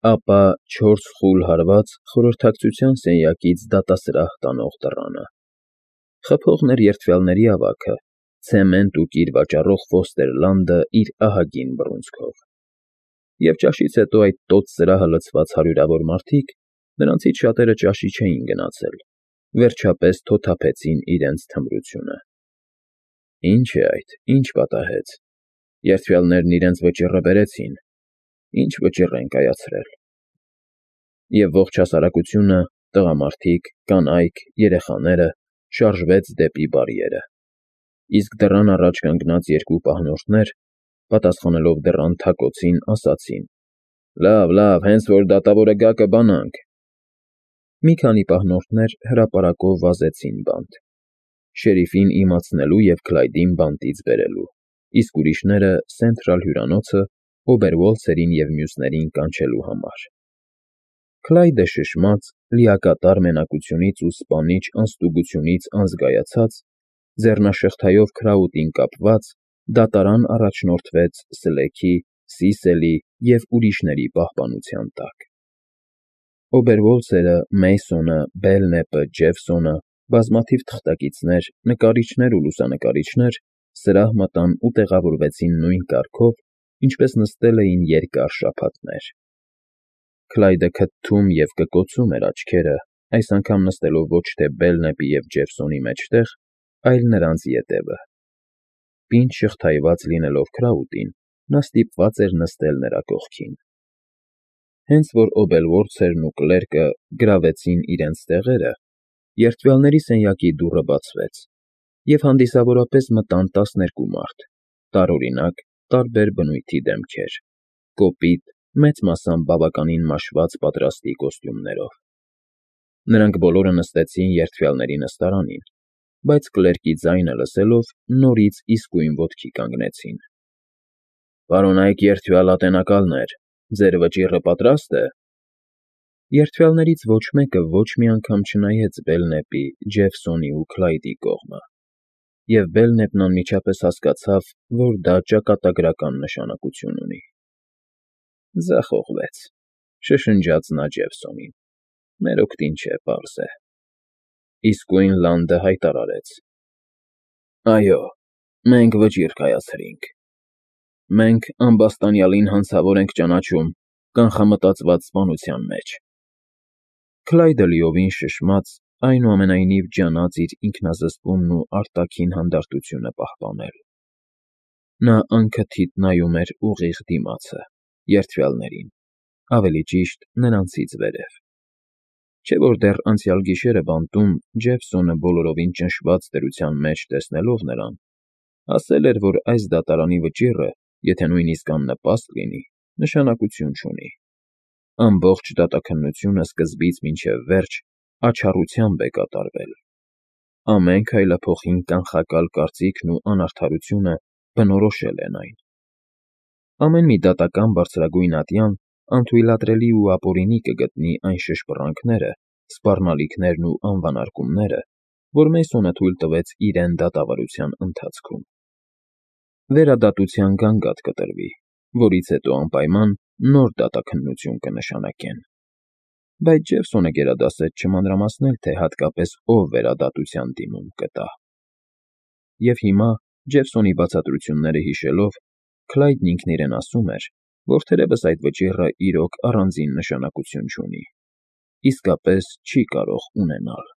Ապա 4 խուլ հարված խորհրդակցության սենյակից դատասրահ տանող դռանը, խփողն էր երդվյալների ավագը, ցեմենտ ու կիր վաճառող Ֆոստեր-Լանդը իր ահագին բռունցքով, և ճաշից հետո այդ տոց սրահը լցված հարյուրավոր մարդիկ, նրանցից շատերը ճաշի չէին գնացել, վերջապես թոթափեցին իրենց թմրությունը։ Ինչ է այդ, ինչ պատահեց, երդվյալներն իրենց վճիռը բերեցին, ինչ վճիռ են կայացրել։ Եվ ողջ հասարակությունը, տղամարդիկ, կանայք, երեխաները շարժվեց դեպի բարիերը, իսկ դռան առաջ կանգնած երկու պահնորդներ, պատասխանելով դռան թակոցին, ասացին. «Լավ, հենց որ դատավորը գա կբանանք»։ Մի քանի պահնորդներ հրապարակով վազեցին բանտ, շերիֆին իմացնելու և Քլայդին բանտից բերելու, իսկ ուրիշները Սենթրալ հյուրանոցը Օբերվոլցերին և մյուսներին կանչելու համար։ Քլայդը շշմած, լիակատար մենակությունից ու սպանիչ անստուգությունից անզգայացած, ձեռնաշղթայով քրաուտին կապված, դատարան առաջնորդվեց Սլեքի, Սիսելի և ուրիշների պահպանության տակ։ Օբերվոլցերը, Մեյսոնը, Բելնեպը, Ջեֆսոնը, բազմաթիվ թղթակիցներ, նկարիչներ ու լուսանկարիչներ սրահ մտան ու տեղավորվեցին նույն կարգով, ինչպես նստել էին երկար շաբաթներ։ Քլայդը քթթում և կկոցում էր աչքերը, այս անգամ նստելով ոչ թե Բելնեպի և Ջեֆսոնի մեջտեղ, այլ նրանց ետևը։ Պինդ շղթայված լինելով քրաուտին, նա ստիպված էր նստել նրա կողքին։ Հենց որ Օբերվոլցերն ու կլերկը գրավեցին իրենց տեղերը, երդվյալների սենյակի դուռը բացվեց, և հանդիսավորապես մտան 12 մարդ, տարօրինակ, տարբեր բնույթի դեմքեր, կոպիտ, մեծ մասամբ բավականին մաշված պատրաստի կոստյումներով։ Նրանք բոլորը նստեցին երդվյալների նստարանին, բայց կլերկի ձայնը լսելով նորից իսկույն ոտքի կանգնեցին։ «Պարոնայք երդվյալ ատենակալներ, ձեր վճիռը պատրա՞ստ է»։ Երդվյալներից ոչ մեկը ոչ մի անգամ չնայեց Բելնեպի, Ջեֆսոնի ու Քլայդի կողմը, և Բելնեպն անմիջապես հասկացավ, որ դա ճակատագրական նշանակություն ունի։ «Ձախողվեց», շշնջաց նա Ջեֆսոնին, «մեր օգտին չէ, պարզ է»։ Իսկույն Լանդը հայտարարեց. «Այո, մենք վճիռ կայացրինք։ Մենք ամբաստանյալին հանցավոր ենք ճանաչում կանխամտածված սպանության մեջ»։ Քլայդը լիովին շշմած, այնուամենայնիվ ջանաց իր ինքնազսպումն ու արտաքին հանդարտությունը պահպանել։ Նա անքթիթ նայում էր ուղիղ դիմացը, երդվյալներին, ավելի ճիշտ, նրանցից վերև։ Չէ որ դեռ անցյալ գիշերը բանտում Ջեֆսոնը բոլորովին ճնշված դրության մեջ տեսնելով նրան, ասել էր, որ այս դատարանի վճիռը, եթե նույնիսկ աննպաստ լինի, նշանակություն չունի։ Ամբողջ դատաքննությունը սկզբից մինչև վերջ աչառությամբ է կատարվել։ Ամեն քայլափոխին կանխակալ կարծիքն ու անարդարությունը բնորոշել են այն։ Ամեն մի դատական բարձրագույն ատյան անթույլատրելի ու ապօրինի կգտնի այն շշպռանքները, սպառնալիքներն ու անվանարկումները, որ Մեյսոնը թույլ տվեց իրեն դատավարության ընթացքում։ Վերադատության գանգատ կտրվի, որից հետո անպայման նոր դատաքննություն կնշանակեն։ Բայց Ջեֆսոնը գերադասեց չմանրամասնել, թե հատկապես ով վերադատության դիմում կտա։ Եվ հիմա, Ջեֆսոնի բացատրությունները հիշելով, Քլայդն ինքն իրեն ասում էր, որ թերևս այդ վճիռը իրոք առանձին նշանակություն չունի, իսկապես չի կարող ունենալ։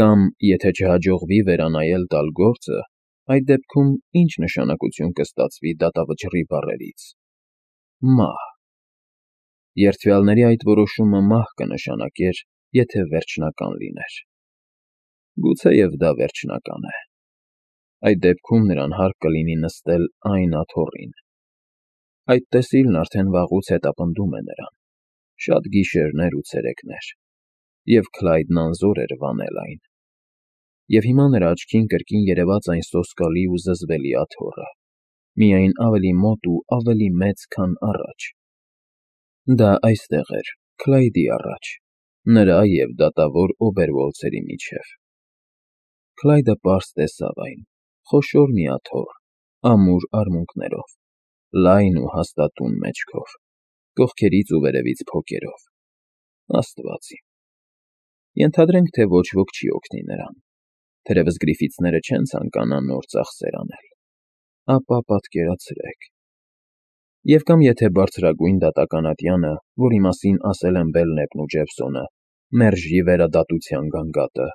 Կամ, եթե չհաջողվի վերանայել տալ գործը, այդ դեպքում ինչ նշանակություն կստացվի դատավճռի բառերից։ Մահ։ Երդվյալների այդ որոշումը մահ կնշանակեր, եթե վերջնական լիներ։ Գուցեև դա վերջնական է։ Այդ դեպքում նրան հարկ կլինի նստել այն աթոռին։ Այդ տեսիլն արդեն վաղուց հետապնդում է նրան, շատ գիշերներ ու ցերեկներ, և Քլայդն անզոր էր վանել այն։ Եվ հիմա նրա աչքին կրկին երևաց այն սոսկալի ու զզվելի աթոռը, միայն ավելի մոտ ու ավելի մեծ, քան առաջ։ Դա այստեղ էր, Քլայդի առաջ, նրա և դատավոր Օբերվոլցերի միջև։ Քլայդը պարզ տեսավ այն, խոշոր մի աթոռ, ամուր արմունկներով, լայն ու հաստատուն մեջքով։ կողքերից ու վերևից փոկերով։ Աստված իմ։ Ենթադրենք, թե ոչ ոք չի օգնի նրան, թերևս գրիֆիցները չեն ցանկանա նոր ծախսեր անել, ապա պատկերացրեք։ Եվ կամ եթե բարձրագույն դատական ատյանը, որի մասին ասել են Բելնեպն ու Ջեֆսոնը, մերժի վերադատության գանգատը,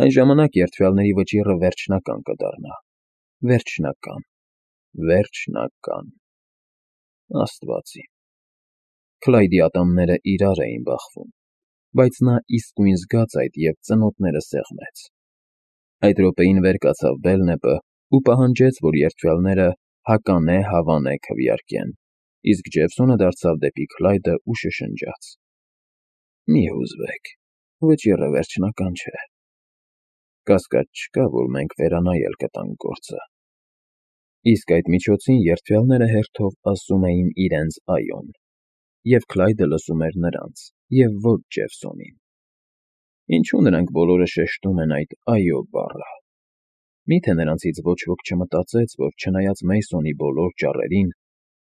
այն ժամանակ երդվյալների վճիռը վերջնական կդառնա։ Վերջնական։ Աստված իմ։ Քլայդի ատամները իրար էին բախվում, բայց նա իսկույն զգաց այդ և ծնոտները սեղմեց։ Այդ րոպեին վեր կացավ Բելնեպը ու պահանջեց, որ երդվյալները հականե-հավանե քվեարկեն, իսկ Ջեֆսոնը դարձավ դեպի Քլայդը ու շշնջաց. «Մի հուզվեք, վճիռը վերջնական չէ։ Կասկած չկա, որ մենք վերանայել կտանք գործը»։ Իսկ այդ միջոցին երդվյալները հերթով ասում էին իրենց «այո»-ն, և Քլայդը լսում էր նրանց, և ոչ Ջեֆսոնին։ Ինչու նրանք բոլորը շեշտում են այդ «այո» բառը։ Մի՞թե նրանցից ոչ ոք չմտածեց, որ չնայած Մեյսոնի բոլոր ճառերին,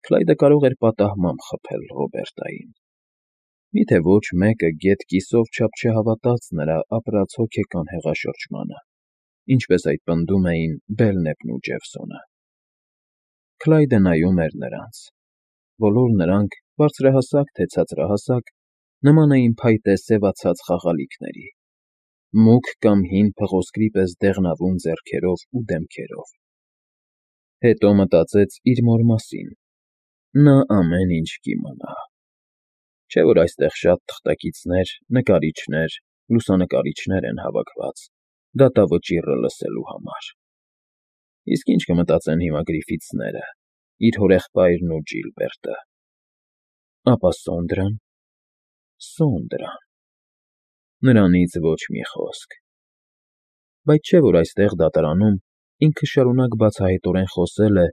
Քլայդը կարող էր պատահմամբ խփել Ռոբերտային։ Մի՞թե ոչ մեկը գեթ կիսով չափ չհավատաց նրա ապրած հոգեկան հեղաշրջմանը, ինչպես այդ պնդում էին Բելնեպն ու Ջեֆսոնը։ Քլայդը նայում էր նրանց։ Բոլոր նրանք, բարձրահասակ թե ցածրահասակ, նման էին փայտե սևացած խաղալիքների, մուգ կամ հին փղոսկրի պես դեղնավուն ձեռքերով ու դեմքերով։ Հետո մտածեց իր մոր մասին. նա ամեն ինչ կիմանա։ Չէ՞ որ այստեղ շատ թղթակիցներ, նկարիչներ, լուսանկարիչներ են հավաքված դատավճիռը լսելու համար։ Իսկ ինչ կմտածեն հիմա գրիֆիցները, իր հորեղբայրն ու Ջիլբերտը։ Ապա Սոնդրան։ Նրանից ոչ մի խոսք։ Բայց չէ՞ որ այստեղ դատարանում ինքը շարունակ բացահայտորեն խոսել է,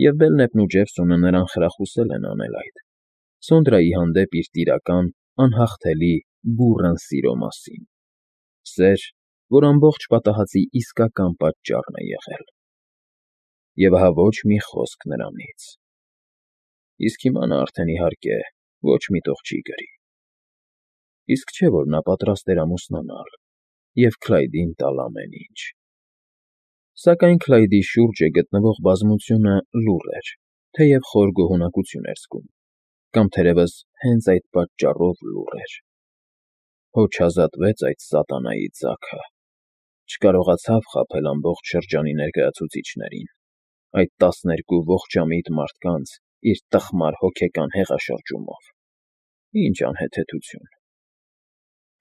և Բելնեպն ու Ջեֆսոնը նրան խրախուսել են անել այդ, Սոնդրայի հանդեպ իր տիրական, անհաղթելի, բուռն սիրո մասին։ Սեր, որ ամբողջ պատահածի իսկական պատճառն է եղել։ Եվ ահա ոչ մի խոսք նրանից։ Իսկ հիմա նա արդեն, իհարկե, ոչ մի տող չի գրի։ Իսկ չէ՞ որ նա պատրաստ էր ամուսնանալ և Քլայդին տալ ամեն ինչ։ Սակայն Քլայդի շուրջը գտնվող բազմությունը լուռ էր, թեև խոր գոհունակություն էր զգում, կամ թերևս հենց այդ պատճառով լուռ էր։ Հո չազատվեց այդ սատանայի ձագը։ Չկարողացավ խաբել ամբողջ շրջանի ներկայացուցիչներին, այդ 12 ողջամիտ մարդկանց իր տխմար հոգեկան հեղաշրջումով։ Ինչ անհեթեթություն։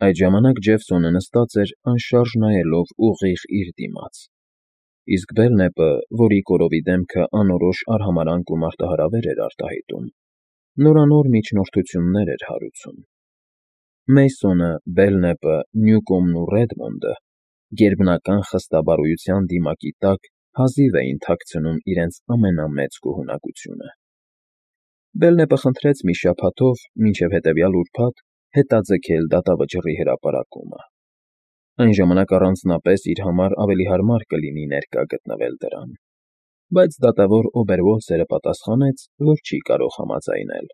Այդ ժամանակ Ջեֆսոնը նստած էր անշարժ նայելով ուղիղ իր դիմաց, իսկ Բելնեպը, որի կորովի դեմքը անորոշ արհամարհանք ու մարտահրավեր էր արտահայտում, նորանոր միջնորդություններ էր հարուցում։ Մեյսոնը, Բելնեպը, Նյուկոմն ու Ռեդմոնդը գերբնական խստաբարոյության դիմակի տակ հազիվ էին թաքցնում իրենց ամենամեծ գոհունակությունը։ Բելնեպը խնդրեց մի շաբաթով, մինչև հետևյալ ուրբաթ, հետաձգել դատավճռի հրապարակումը։ Այն ժամանակ առանձնապես իր համար ավելի հարմար կլինի ներկա գտնվել դրան։ Բայց դատավոր Օբերվոլցերը պատասխանեց, որ չի կարող համաձայնել,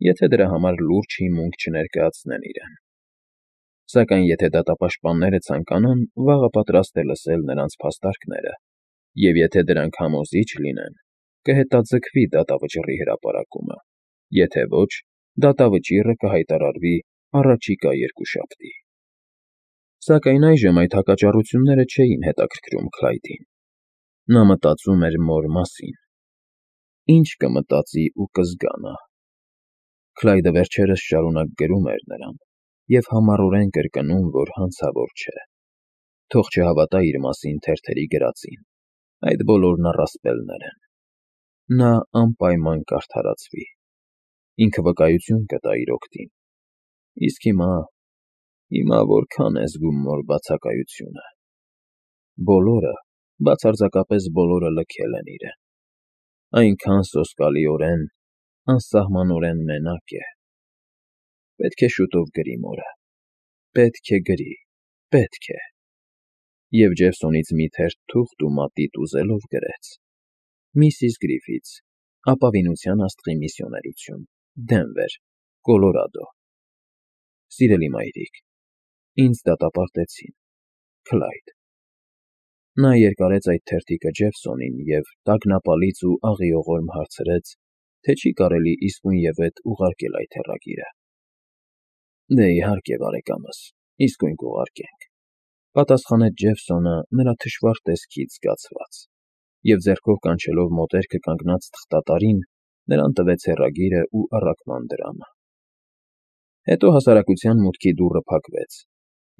եթե դրա համար լուրջ հիմունք չներկայացնեն իրեն։ Սակայն եթե դատապաշտպանները ցանկանան, վաղը պատրաստ է լսել նրանց փաստարկները, և եթե դրանք համոզիչ լինեն, կհետաձգվի դատավճռի հրապարակումը, եթե ոչ, դատավճիռը կհայտարարվի առաջիկա երկուշաբթի։ Սակայն այժմ այդ հակաճառությունները չէին հետաքրքրում Քլայդին։ Նա մտածում էր մոր մասին։ Ինչ կմտածի ու կզգա նա։ Քլայդը վերջերս շարունակ գրում էր նրան և համառորեն կրկնում, որ հանցավոր չէ։ Թող չհավատա իր մասին թերթերի գրածին, այդ բոլորն առասպելներ են։ Նա անպայման կարդարացվի։ Ինքը վկայություն կտա իր օգտին։ Իսկ հիմա որքան է զգում մոր բացակայությունը։ Բոլորը, բացարձակապես բոլորը լքել են իրեն։ Այնքան սոսկալիորեն, անսահմանորեն մենակ է։ Պետք է շուտով գրի մորը։ Պետք է գրի, պետք է։ Եվ Ջեֆսոնից մի թերթ թուղթ ու մատիտ ուզելով գրեց. Միսիս Գրիֆիթս, ապավինության աստղի միսիոներություն, Դենվեր, Կոլորադո։ Սիրելի մայրիկ, ինձ դատապարտեցին, Քլայդ։ Նա երկարեց այդ թերթիկը Ջեֆսոնին և տագնապալից ու աղիողորմ հարցրեց, թե չի կարելի իսկույնևեթ ուղարկել այդ հեռագիրը։ Դե իհարկե, բարեկամս, իսկույն կուղարկենք, պատասխանեց Ջեֆսոնը նրա թշվառ տեսքից զգացված, և ձեռքով կանչելով մոտերքը կանգնած թղթատարին, նրան տվեց հեռագիրը ու առաքման դրամը։ Հետո հասարակության մուտքի դուռը փակվեց,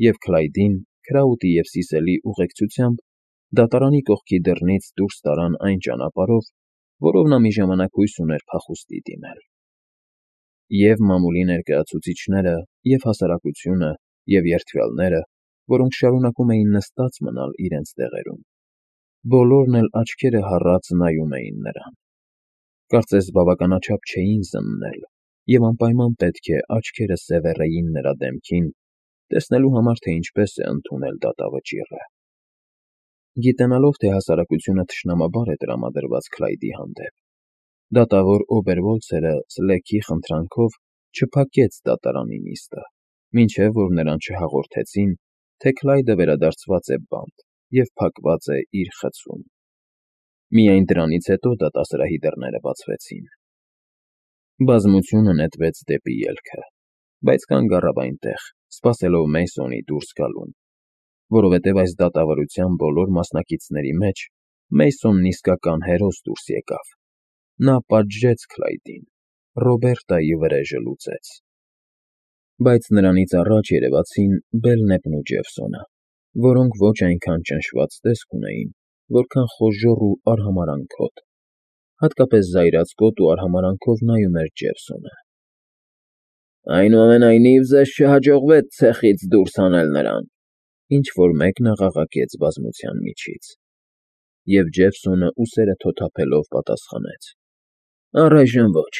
և Քլայդին, Քրաուտի և Սիսելի ուղեկցությամբ դատարանի կողքի դռնից դուրս տարան այն ճանապարհով, որով նա մի ժամանակ հույս ուներ փախուստի դիմել։ Եվ մամուլի ներկայացուցիչները, և հասարակությունը, և երդվյալները, որոնք շարունակում էին նստած մնալ իրենց տեղերում, բոլորն էլ աչքերը հառած նայում էին նրան։ Կարծես բավականաչափ չէին զննել, և անպայման պետք է աչքերը սևեռեին նրա դեմքին, տեսնելու համար, թե ինչպես է ընդունել դատավճիռը։ Գիտենալով, թե հասարակությունը թշնամաբար է տրամադրված Քլայդի հանդեպ, դատավոր Օբերվոլցերը Սլեքի խնդրանքով չփակեց դատարանի նիստը, մինչև որ նրան չհաղորդեցին, թե Քլայդը վերադարձված է բանտ և փակված է իր խցում։ Միայն դրանից հետո դատասրահի դռները բացվեցին։ Բազմությունը նետվեց դեպի ելքը, բայց կանգ առավ այնտեղ, սպասելով Մեյսոնի դուրս գալուն, որովհետև այս դատավարության բոլոր մասնակիցների մեջ Մեյսոնն իսկական հերոս դուրս եկավ։ Նա պատժեց Քլայդին, Ռոբերտայի վրեժը լուծեց։ Բայց նրանից առաջ երևացին Բելնեպն ու Ջեֆսոնը, որոնք ոչ այնքան ճնշված տեսք ունեին, որքան խոժոռ ու արհամարհանքոտ, հատկապես զայրացկոտ ու արհամարհանքով նայում էր Ջեֆսոնը։ Այնուամենայնիվ, ձեզ չհաջողվեց ցեխից դուրս հանել նրան, ինչ֊որ մեկն աղաղակեց բազմության միջից, և Ջեֆսոնը ուսերը թոթափելով պատասխանեց. Առայժմ ոչ,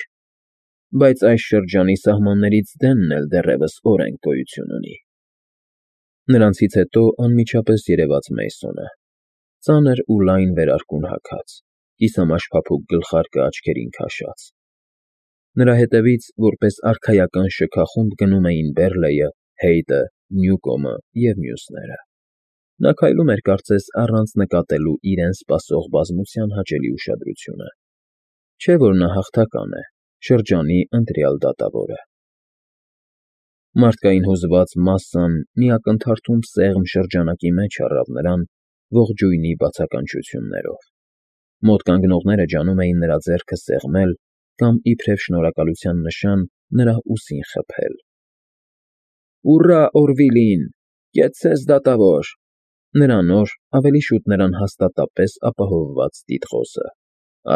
բայց այս շրջանի սահմաններից դենն էլ դեռևս օրենք գոյություն ունի։ Նրանցից հետո անմիջապես երևաց Մեյսոնը, ծանր ու լայն վերարկուն հագած, կիսամաշ փափուկ գլխարկը աչքերին քաշած։ Նրա հետևից, որպես արքայական շքախումբ գնում էին Բերլեյը, Հեյդը, Նյուկոմը և մյուսները։ Նա քայլում էր կարծես առանց նկատելու իրեն սպասող բազմության հաճելի ուշադրությունը։ Չէ՞ որ նա հաղթական է, շրջանի ընտրյալ դատավորը։ Մարդկային հուզված մասսան մի ակնթարթում սեղմ շրջանակի մեջ առավ նրան ողջույնի բացականչություններով։ Մոտ կանգնողները ջանում էին նրա ձեռքը սեղմել կամ իբրև շնորհակալության նշան նրա ուսին խփել։ Ուռա Օրվիլին, կեցցես դատավոր, նրանոր, ավելի շուտ նրան հաստատապես ապահովված տիտղոսը։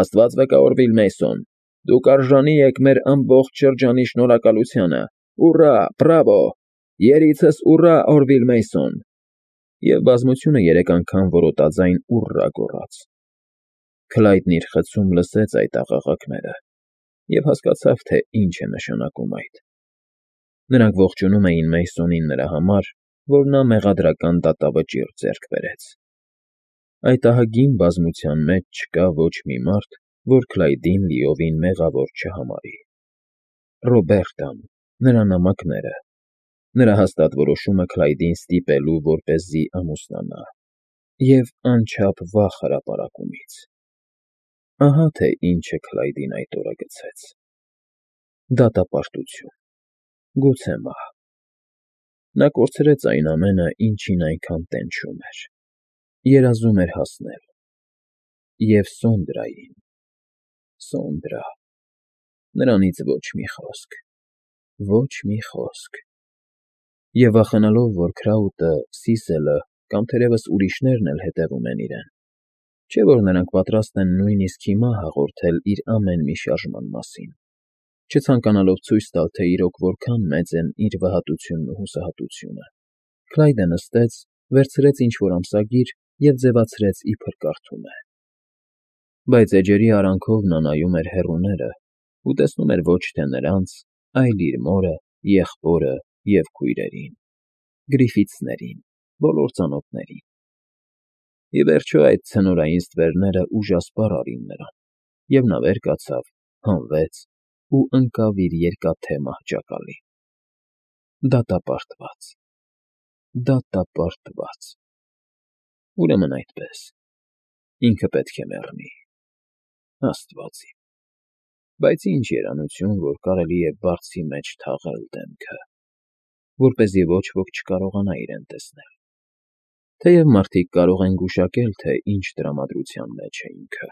Աստված վկա, Օրվիլ Մեյսոն, դուք արժանի եք մեր ամբողջ շրջանի շնորհակալությանը։ Ուռա, բրավո, երիցս ուռա Օրվիլ Մեյսոն։ Եվ բազմությունը երեք անգամ որոտաձայն ուռա գոռաց։ Քլայդն իր խցում լսեց այդ աղաղակները և հասկացավ, թե ինչ է նշանակում այդ։ Նրանք ողջունում էին Մեյսոնին նրա համար, որ նա մեղադրական դատավճիռ ձեռք բերեց։ Այդ ահագին բազմության մեջ չկա ոչ մի մարդ, որ Քլայդին լիովին մեղավոր չհամարի։ Ռոբերտան, նրա նամակները, նրա հաստատ որոշումը Քլայդին ստիպելու, որպեսզի ամուսնանա, և անչափ վախ հրապարակումից։ Ահա թե ինչ է Քլայդին այդ օրը գցեց։ Դատապարտություն, գուցե մահ։ Նա կորցրեց այն ամենը, ինչին այնքան տենչում էր, երազում էր հասնել։ Եվ Սոնդրային, Սոնդրա… նրանից ոչ մի խոսք, ոչ մի խոսք։ Եվ վախենալով, որ Քրաուտը, Սիսելը կամ թերևս ուրիշներն էլ հետևում են իրեն, չէ՞ որ նրանք պատրաստ են նույնիսկ հիմա հաղորդել իր ամեն մի շարժման մասին, չցանկանալով ցույց տալ, թե իրոք որքան մեծ են իր վհատությունն ու հուսահատությունը, Քլայդը նստեց, վերցրեց ինչ֊որ ամսագիր և ձևացրեց, իբր կարդում է։ Բայց էջերի արանքով նա նայում էր հեռուները ու տեսնում էր ոչ թե նրանց, այլ իր մորը, եղբորը և քույրերին, Գրիֆիթսներին, բոլոր ծանոթներին։ Ի վերջո այդ ցնորային ստվերները ուժասպառ արին նրան, և նա վեր կացավ, հանվեց ու ընկավ իր երկաթե մահճակալին։ Դատապարտված, դատապարտված… Ուրեմն այդպես, ինքը պետք է մեռնի… Աստված իմ… Բայց ինչ երանություն, որ կարելի է բարձի մեջ թաղել դեմքը, որպեսզի ոչ ոք չկարողանա իրեն տեսնել, թեև մարդիկ կարող են գուշակել, թե ինչ տրամադրության մեջ է ինքը։